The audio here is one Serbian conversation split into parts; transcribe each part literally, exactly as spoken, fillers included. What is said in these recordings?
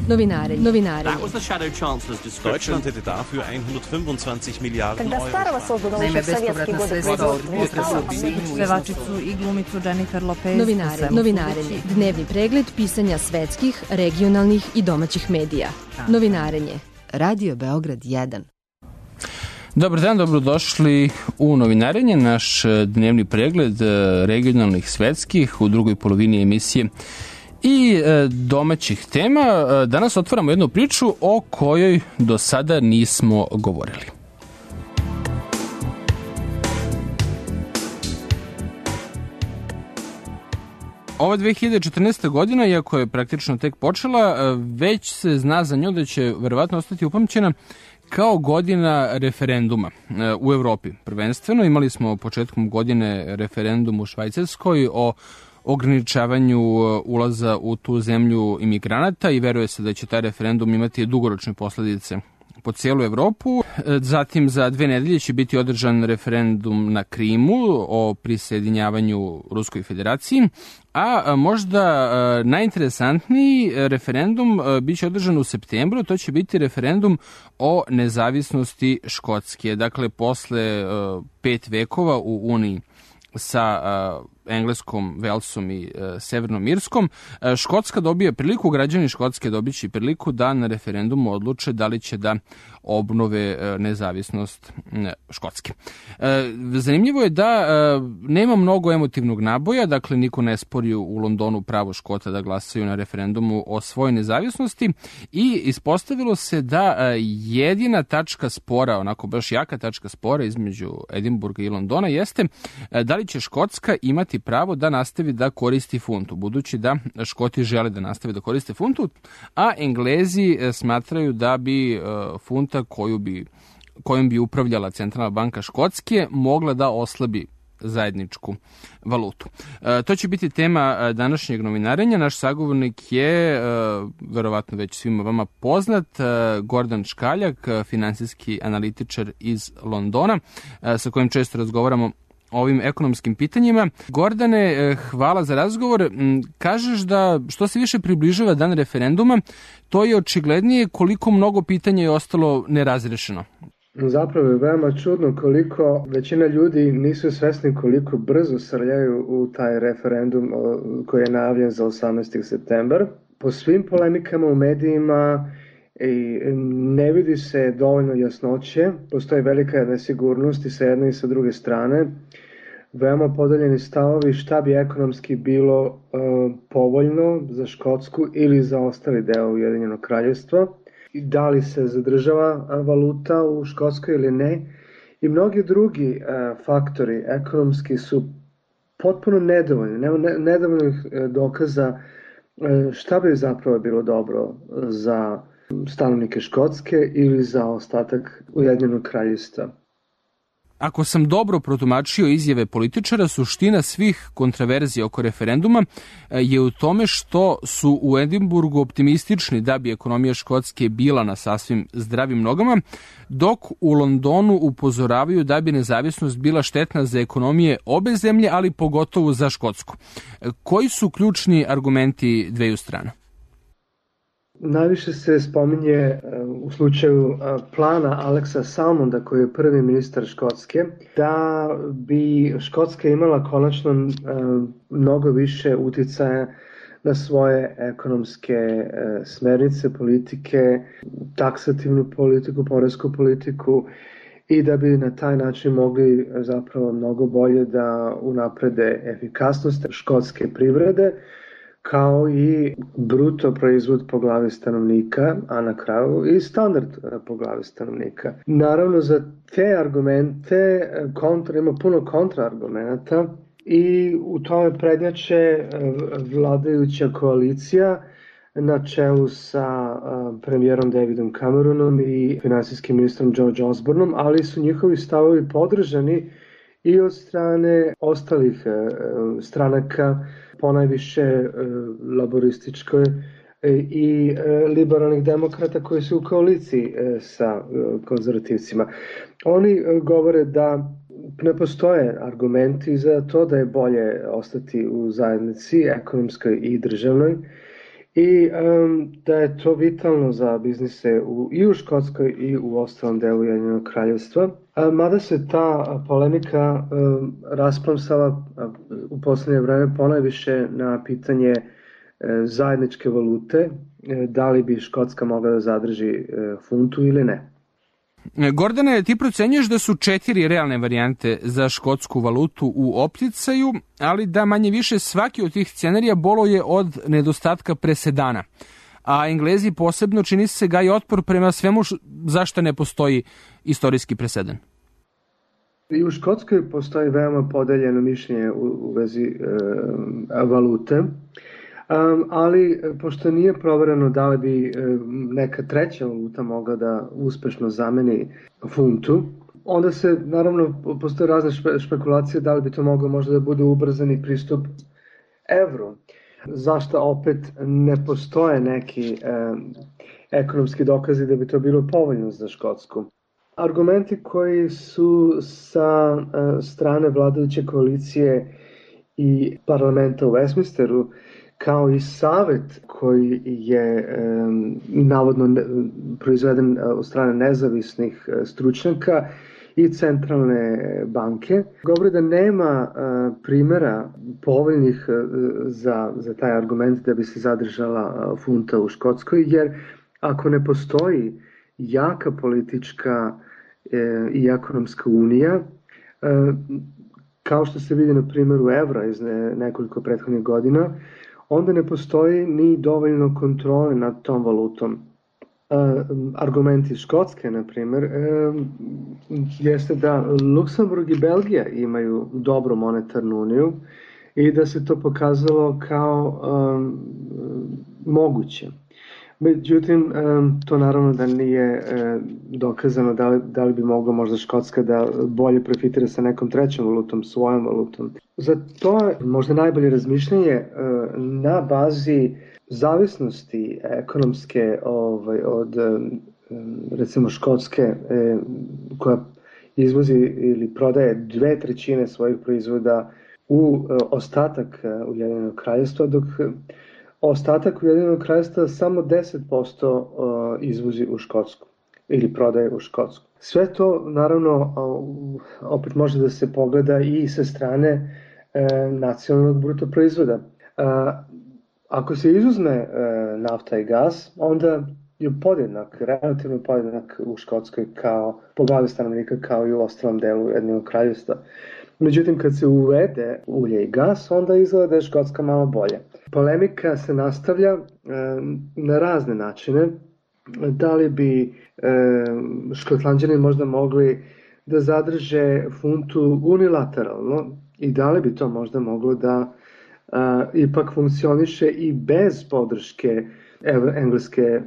Novinarenje. Novinarenje. That was the shadow chancellor's description. Deutschland hätte dafür hundertfünfundzwanzig Milliarden Euro. Naime, bespovratna sredstva od pevačicu i glumicu Jennifer Lopez. Novinarenje. Novinarenje. Dnevni pregled pisanja svetskih, regionalnih i domaćih medija. Novinarenje. Radio Beograd jedan. Dobar dan, dobrodošli u Novinarenje, naš dnevni pregled regionalnih, svetskih u drugoj polovini emisije i domaćih tema. Danas otvaramo jednu priču o kojoj do sada nismo govorili. Ova dve hiljade četrnaesta. godina, iako je praktično tek počela, već se zna za nju da će verovatno ostati upamćena kao godina referenduma u Evropi. Prvenstveno imali smo početkom godine referendum u Švajcarskoj o ograničavanju ulaza u tu zemlju imigranata i veruje se da će taj referendum imati dugoročne posledice po cijelu Evropu. Zatim za dve nedelje će biti održan referendum na Krimu o prisjedinjavanju Ruskoj federaciji, a možda najinteresantniji referendum biće održan u septembru, to će biti referendum o nezavisnosti Škotske. Dakle, posle pet vekova u Uniji sa Engleskom, Velsom i e, Severnom Irskom, e, Škotska dobije priliku, građani Škotske dobit će priliku da na referendumu odluče da li će da obnove e, nezavisnost e, Škotske. E, zanimljivo je da e, nema mnogo emotivnog naboja, dakle niko ne spori u Londonu pravo Škota da glasaju na referendumu o svojoj nezavisnosti i ispostavilo se da e, jedina tačka spora, onako baš jaka tačka spora između Edinburga i Londona jeste e, da li će Škotska imati pravo da nastavi da koristi funtu, budući da Škoti žele da nastave da koriste funtu, a Englezi smatraju da bi funta koju bi, kojom bi upravljala Centralna banka Škotske mogla da oslabi zajedničku valutu. E, to će biti tema današnjeg novinarenja. Naš sagovornik je, e, verovatno već svima vama poznat, e, Gordan Škaljak, finansijski analitičar iz Londona, e, sa kojim često razgovaramo o ovim ekonomskim pitanjima. Gordane, hvala za razgovor. Kažeš da što se više približava dan referenduma, to je očiglednije koliko mnogo pitanja je ostalo nerazrešeno. Zapravo je veoma čudno koliko većina ljudi nisu svesni koliko brzo srljaju u taj referendum koji je najavljen za osamnaesti septembar. Po svim polemikama u medijima i ne vidi se dovoljno jasnoće, postoji velika nesigurnost i sa jedne i sa druge strane, veoma podeljeni stavovi šta bi ekonomski bilo uh, povoljno za Škotsku ili za ostali deo Ujedinjenog kraljevstva, i da li se zadržava valuta u Škotskoj ili ne, i mnogi drugi uh, faktori ekonomski su potpuno nedovoljni, nema ne, nedovoljnih uh, dokaza uh, šta bi zapravo bilo dobro za stanovnike Škotske ili za ostatak Ujedinjenog kraljevstva. Ako sam dobro protumačio izjave političara, suština svih kontraverzija oko referenduma je u tome što su u Edinburgu optimistični da bi ekonomija Škotske bila na sasvim zdravim nogama, dok u Londonu upozoravaju da bi nezavisnost bila štetna za ekonomije obe zemlje, ali pogotovo za Škotsku. Koji su ključni argumenti dveju strana? Najviše se spominje u slučaju plana Alexa Salmonda, koji je prvi ministar Škotske, da bi Škotska imala konačno mnogo više uticaja na svoje ekonomske smernice, politike, taksativnu politiku, poresku politiku, i da bi na taj način mogli zapravo mnogo bolje da unaprede efikasnost škotske privrede, kao i bruto proizvod po glavi stanovnika, a na kraju i standard po glavi stanovnika. Naravno, za te argumente kontra, ima puno kontraargumenata i u tome prednjače vladajuća koalicija na čelu sa premijerom Davidom Cameronom i finansijskim ministrom George Osbornom, ali su njihovi stavovi podržani i od strane ostalih stranaka, ponajviše laborističkoj i liberalnih demokrata koji su u koaliciji sa konzervativcima. Oni govore da ne postoje argumenti za to da je bolje ostati u zajednici ekonomskoj i državnoj i um, da je to vitalno za biznise u, i u Škotskoj i u ostalom delu Ujedinjenog kraljevstva. A, mada se ta polemika um, rasplamsala u poslednje vreme ponajviše na pitanje e, zajedničke valute, e, da li bi Škotska mogla da zadrži e, funtu ili ne. Gordane, ti procenjuješ da su četiri realne varijante za škotsku valutu u opticaju, ali da manje više svaki od tih scenarija boluje od nedostatka presedana. A Englezi posebno čini se gaji otpor prema svemu zašto ne postoji istorijski presedan. I u Škotskoj postoji veoma podeljeno mišljenje u, u vezi e, valute. Um, ali pošto nije provereno da li bi um, neka treća valuta mogla da uspešno zameni funtu, onda se naravno postoje razne špe, špekulacije da li bi to moglo možda da bude ubrzani pristup evru. Zašto opet ne postoje neki um, ekonomski dokazi da bi to bilo povoljno za Škotsku. Argumenti koji su sa uh, strane vladajuće koalicije i parlamenta u Westminsteru, kao i savet koji je um, navodno ne, proizveden od strane nezavisnih stručnjaka i centralne banke, govori da nema uh, primjera povoljnih uh, za, za taj argument da bi se zadržala funta u Škotskoj, jer ako ne postoji jaka politička uh, i ekonomska unija, uh, kao što se vidi na primjeru evra iz ne, nekoliko prethodnih godina, onda ne postoji ni dovoljno kontrole nad tom valutom. E, argument iz Škotske, na primjer, e, jeste da Luksemburg i Belgija imaju dobru monetarnu uniju i da se to pokazalo kao um, moguće. Međutim, um, to naravno da nije um, dokazano da li, da li bi mogla možda Škotska da bolje profitira sa nekom trećom valutom, svojom valutom. Za to je možda najbolje razmišljanje uh, na bazi zavisnosti ekonomske ovaj, od um, recimo Škotske um, koja izvozi ili prodaje dve trećine svojih proizvoda u uh, ostatak uh, Ujedinjenog kraljevstva, dok ostatak Ujedinjenog kraljevstva samo deset posto izvozi u Škotsku ili prodaje u Škotsku. Sve to naravno opet može da se pogleda i sa strane nacionalnog bruto proizvoda. Ako se izuzme nafta i gas, onda je podjednak, relativno podjednak u Škotskoj kao, po glavi stanovnika kao i u ostalom delu Ujedinjenog kraljevstva. Međutim, kad se uvede ulje i gas, onda izgleda da je Škotska malo bolje. Polemika se nastavlja e, na razne načine. Da li bi e, Škotlanđani možda mogli da zadrže funtu unilateralno i da li bi to možda moglo da e, ipak funkcioniše i bez podrške engleske e,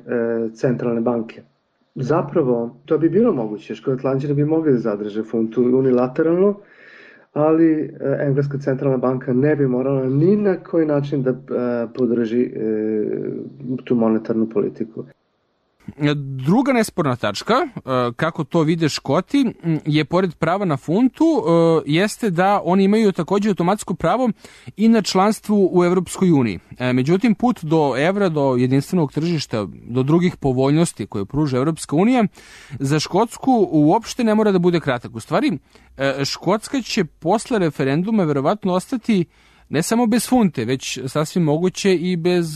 centralne banke. Zapravo, to bi bilo moguće. Škotlanđani bi mogli da zadrže funtu unilateralno, ali Engleska centralna banka ne bi morala ni na koji način da podrži tu monetarnu politiku. Druga nesporna tačka, kako to vide Škoti, je pored prava na funtu, jeste da oni imaju takođe automatsko pravo i na članstvu u Evropskoj uniji. Međutim, put do evra, do jedinstvenog tržišta, do drugih povoljnosti koje pruža Evropska unija, za Škotsku uopšte ne mora da bude kratak. U stvari, Škotska će posle referenduma verovatno ostati ne samo bez funte, već sasvim moguće i bez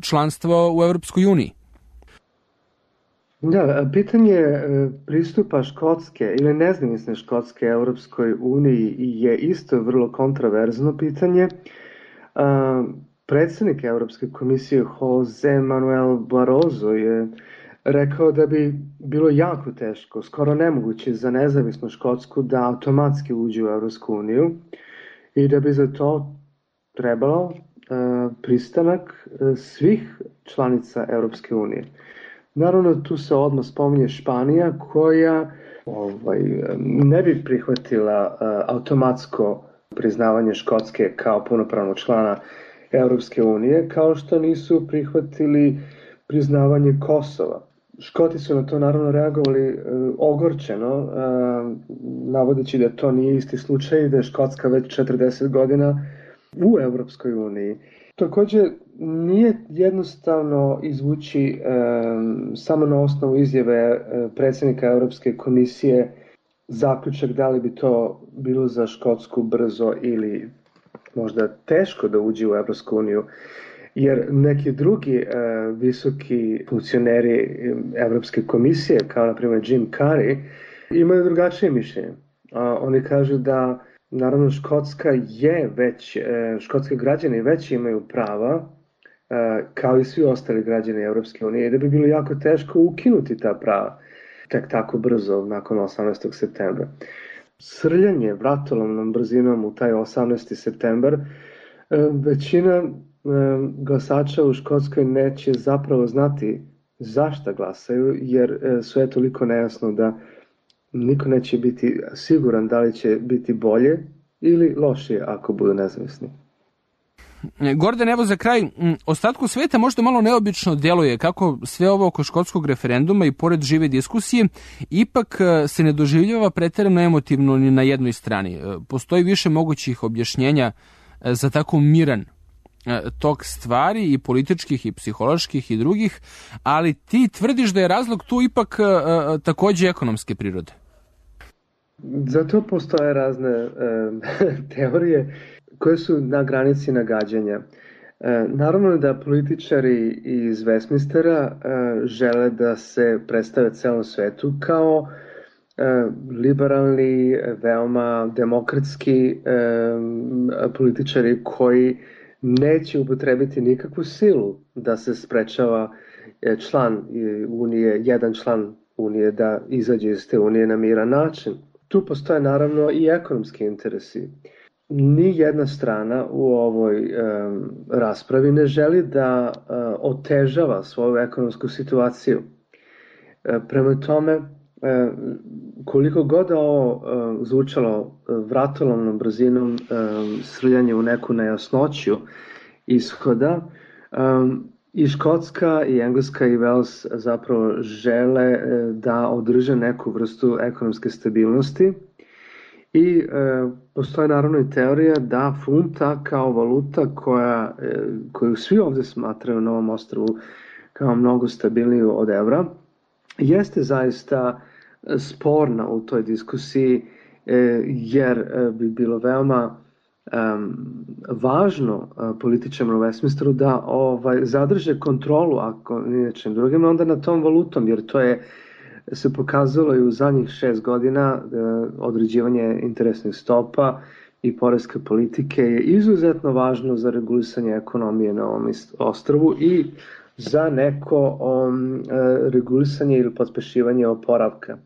članstva u Evropskoj uniji. Da, pitanje pristupa Škotske ili nezavisne Škotske Evropskoj uniji je isto vrlo kontraverzno pitanje. Predsjednik Evropske komisije Jose Manuel Barroso je rekao da bi bilo jako teško, skoro nemoguće za nezavisnu Škotsku da automatski uđe u Evropsku uniju i da bi za to trebalo pristanak svih članica Evropske unije. Naravno, tu se odmah spominje Španija koja ovaj, ne bi prihvatila uh, automatsko priznavanje Škotske kao punopravnog člana Evropske unije, kao što nisu prihvatili priznavanje Kosova. Škoti su na to naravno reagovali uh, ogorčeno, uh, navodeći da to nije isti slučaj, da je Škotska već četrdeset godina u Evropskoj uniji. Također nije jednostavno izvući um, samo na osnovu izjave uh, predsjednika Europske komisije zaključak da li bi to bilo za Škotsku brzo ili možda teško da uđe u Europsku uniju. Jer neki drugi uh, visoki funkcioneri Europske komisije, kao na primjer Jim Carrey, imaju drugačije mišljenje. Uh, oni kažu da naravno Škotska je već, uh, škotski građani već imaju prava, uh, kao i svi ostali građani Europske unije, i da bi bilo jako teško ukinuti ta prava tek tako brzo nakon osamnaestog septembra. Srljanje vratolomnom brzinom u taj osamnaesti septembar, uh, većina glasača u Škotskoj neće zapravo znati zašto glasaju, jer sve je toliko nejasno da niko neće biti siguran da li će biti bolje ili lošije ako budu nezavisni. Gordon, evo za kraj, ostatku sveta možda malo neobično djeluje kako sve ovo oko škotskog referenduma i pored žive diskusije ipak se ne doživljava pretjerano emotivno ni na jednoj strani. Postoji više mogućih objašnjenja za tako miran tok stvari, i političkih i psiholoških i drugih, ali ti tvrdiš da je razlog tu ipak uh, također ekonomske prirode. Za to postoje razne uh, teorije koje su na granici nagađanja. Uh, naravno da političari iz Westminstera uh, žele da se predstave celom svetu kao uh, liberalni, veoma demokratski uh, političari koji neće upotrebiti nikakvu silu da se sprečava član Unije, jedan član Unije da izađe iz te Unije na miran način. Tu postoje naravno i ekonomski interesi. Ni jedna strana u ovoj um, raspravi ne želi da uh, otežava svoju ekonomsku situaciju. Uh, prema tome, uh, koliko god ovo uh, zvučalo vratolomnom brzinom, um, srljanje u neku nejasnoću ishoda, um, i Škotska, i Engleska, i Wales zapravo žele uh, da održe neku vrstu ekonomske stabilnosti. I uh, postoji naravno i teorija da funta kao valuta koja, uh, koju svi ovdje smatraju na ovom ostrvu kao mnogo stabilniju od evra, jeste zaista sporna u toj diskusiji, jer bi bilo veoma um, važno uh, političarima u Westminsteru da ovaj, zadrže kontrolu, ako ni nečim drugim, onda na tom valutom, jer to je se pokazalo i u zadnjih šest godina uh, određivanje interesnih stopa i poreske politike je izuzetno važno za regulisanje ekonomije na ovom ostrvu i za neko um, uh, regulisanje ili pospešivanje oporavka.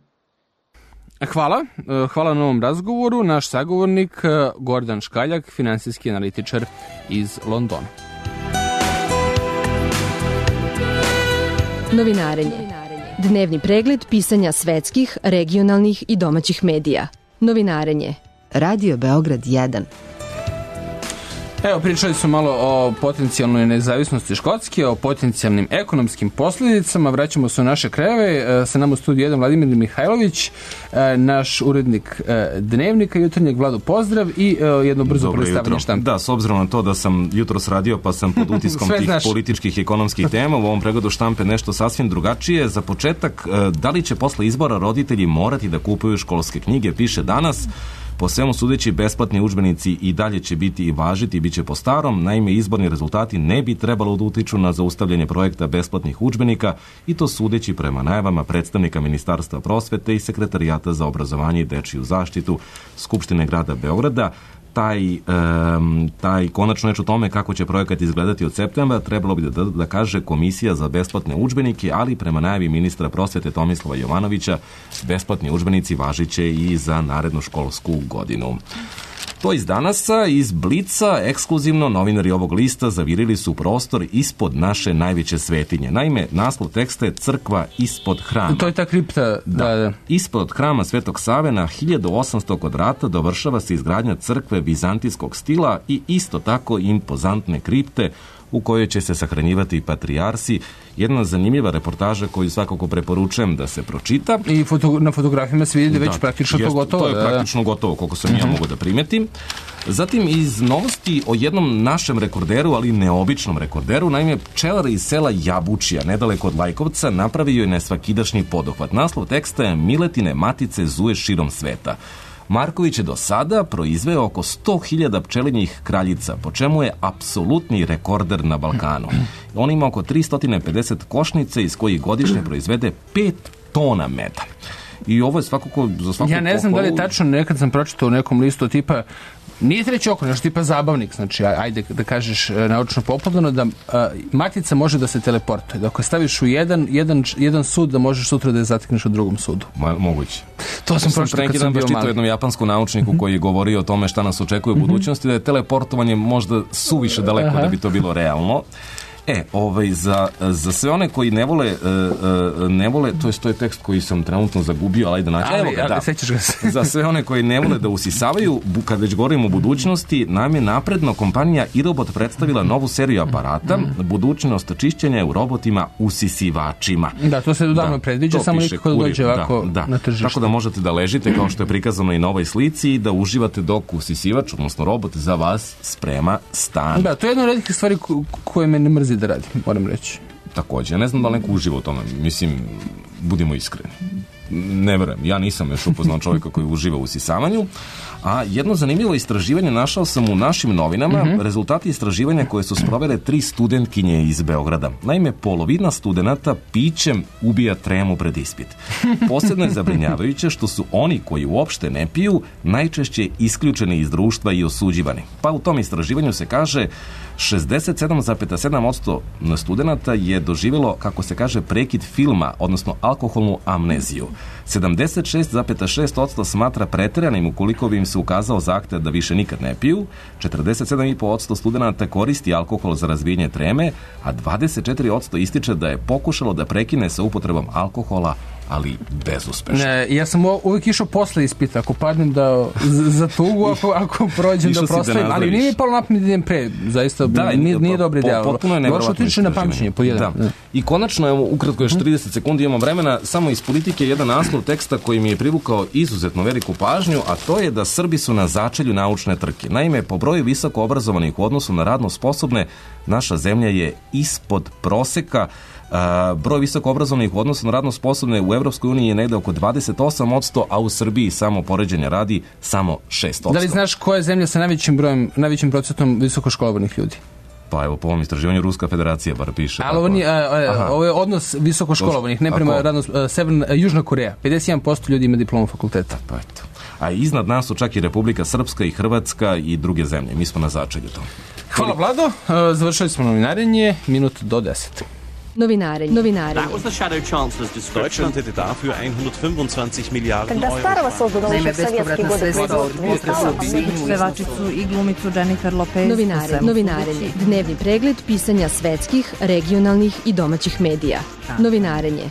Hvala. Hvala na ovom razgovoru. Naš sagovornik Gordan Škaljak, finansijski analitičar iz Londona. Novinarenje. Dnevni pregled pisanja svetskih, regionalnih i domaćih medija. Novinarenje. Radio Beograd jedan. Evo, pričali smo malo o potencijalnoj nezavisnosti Škotske, o potencijalnim ekonomskim posljedicama. Vraćamo se u naše krajeve. Sa nama u studiju jedan Vladimir Mihajlović, naš urednik Dnevnika jutarnjeg. Vlado, pozdrav i jedno brzo predstavljanje štampe. Da, s obzirom na to da sam jutros radio pa sam pod utiskom tih znaš. političkih i ekonomskih tema, u ovom pregledu štampe nešto sasvim drugačije. Za početak, da li će posle izbora roditelji morati da kupuju školske knjige, piše Danas. Po svemu sudeći, besplatni udžbenici i dalje će biti i važiti i bit će po starom. Naime, izborni rezultati ne bi trebalo da utiču na zaustavljanje projekta besplatnih udžbenika, i to sudeći prema najavama predstavnika Ministarstva prosvete i Sekretarijata za obrazovanje i dečiju zaštitu Skupštine grada Beograda. Taj, um, taj konačno reč o tome kako će projekat izgledati od septembra trebalo bi da, da kaže Komisija za besplatne udžbenike, ali prema najavi ministra prosvete Tomislava Jovanovića besplatni udžbenici važiće i za narednu školsku godinu. To iz Danasa, iz Blica, ekskluzivno novinari ovog lista zavirili su prostor ispod naše najveće svetinje. Naime, naslov teksta je Crkva ispod hrama. To je ta kripta. Da, da. da. Ispod hrama Svetog Save na hiljadu osamsto kvadrata dovršava se izgradnja crkve vizantijskog stila i isto tako impozantne kripte u kojoj će se sahranjivati patrijarsi. Jedna zanimljiva reportaža koju svakako preporučujem da se pročita. I foto, na fotografijama se vidi da, već praktično jest, to gotovo. To je praktično gotovo, koliko sam ja mogu da primetim. Zatim iz novosti o jednom našem rekorderu, ali neobičnom rekorderu, naime pčelar iz sela Jabučija, nedaleko od Lajkovca, napravio je nesvakidašnji poduhvat. Naslov teksta je Miletine matice zuje širom sveta. Marković je do sada proizveo oko sto hiljada pčelinjih kraljica, po čemu je apsolutni rekorder na Balkanu. On ima oko tristo pedeset košnica iz kojih godišnje proizvede pet tona meda. I ovo je svakako za svaku Ja ne znam pohvalu. da li je tačno, nekad sam pročitao u nekom listu tipa, nije treći oko, nešto tipa zabavnik, znači ajde da kažeš naučno popularno, da a, matica može da se teleportuje. Da ako staviš u jedan, jedan, jedan sud, da možeš sutra da je zatekneš u drugom sudu. Ma, moguće. To sam pročitao kad sam bio mali. jednom japanskom naučniku mm-hmm. koji je govorio o tome šta nas očekuje u budućnosti, da je teleportovanje možda suviše daleko Aha. da bi to bilo realno. E, ovaj, za, za sve one koji ne vole, uh, uh, ne vole, to je, to je tekst koji sam trenutno zagubio, ali ajde naći. Ali, Evo ga, da. Sećaš ga se. Za sve one koji ne vole da usisavaju, kad već govorimo o budućnosti, nam je napredno kompanija iRobot predstavila novu seriju aparata, budućnost čišćenja u robotima usisivačima. Da, to se davno predviđa, samo nikako da dođe ovako da, da. na tržište. Tako da možete da ležite, kao što je prikazano i na ovoj slici, i da uživate dok usisivač, odnosno robot, za vas sprema stan. Da, to je jedna od redkih stvari koje me ne mrzi da radim, moram reći. Takođe, ne znam da li neko uživa u tome, mislim, budimo iskreni. Ne verujem, ja nisam još upoznao čovjeka koji uživa u usisavanju, a jedno zanimljivo istraživanje našao sam u našim novinama, mm-hmm. rezultati istraživanja koje su sprovele tri studentkinje iz Beograda. Naime, polovina studenata pićem ubija tremu pred ispit. Posebno je zabrinjavajuće što su oni koji uopšte ne piju najčešće isključeni iz društva i osuđivani. Pa u tom istraživanju se kaže šezdeset sedam zarez sedam posto studenata je doživjelo, kako se kaže, prekid filma, odnosno alkoholnu amneziju. sedamdeset šest zarez šest posto smatra preteranim ukoliko bi im se ukazao zahtev da više nikad ne piju, četrdeset sedam zarez pet posto studenata koristi alkohol za razbijanje treme, a dvadeset četiri posto ističe da je pokušalo da prekine sa upotrebom alkohola, ali bezuspešno. Ne, ja sam uvijek išao posle ispita, ako padnem da za tugu, ako, ako prođem da proslavim, ali nije mi palo napamet da idem pre, zaista da, nije, nije dobro idealno. Potpuno je nevjerovatno istraživanje. Došlo tiče na pamćenje, po jedan. Da. I konačno, evo, ukratko još trideset sekundi imamo vremena, samo iz politike jedan naslov teksta koji mi je privukao izuzetno veliku pažnju, a to je da Srbi su na začelju naučne trke. Naime, po broju visoko obrazovanih u odnosu na radno sposobne, naša zemlja je ispod proseka. Uh, broj visoko obrazovnih u odnosu na radno sposobne u Evropskoj uniji je negde oko dvadeset osam posto, a u Srbiji, samo poređenja radi, samo šest posto. Da li znaš koja je zemlja sa najvećim brojem, najvećim procentom visokoškolovanih ljudi? Pa evo, po ovom istraživanju Ruska federacija bar piše. Ali ovo, nije, a, a, ovo je odnos visokoškolovanih, ne prema radno, Severna, Južna Koreja. pedeset jedan posto ljudi ima diplomu fakulteta. Pa eto. A iznad nas su čak i Republika Srpska i Hrvatska i druge zemlje. Mi smo na začelju tome. Hvala, Vlado. Završili smo novinarenje, minut do deset. Novinarenje. Novinarenje. That was the Shadow Chancellor's description. Deutschland hätte dafür hundertfünfundzwanzig Milliarden Когда Euro. старого создано еще советский год. Pevačicu i glumicu Jennifer Lopez. Novinarenje. Novinarenje. Dnevni pregled pisanja svetskih, regionalnih i domaćih medija. Novinarenje.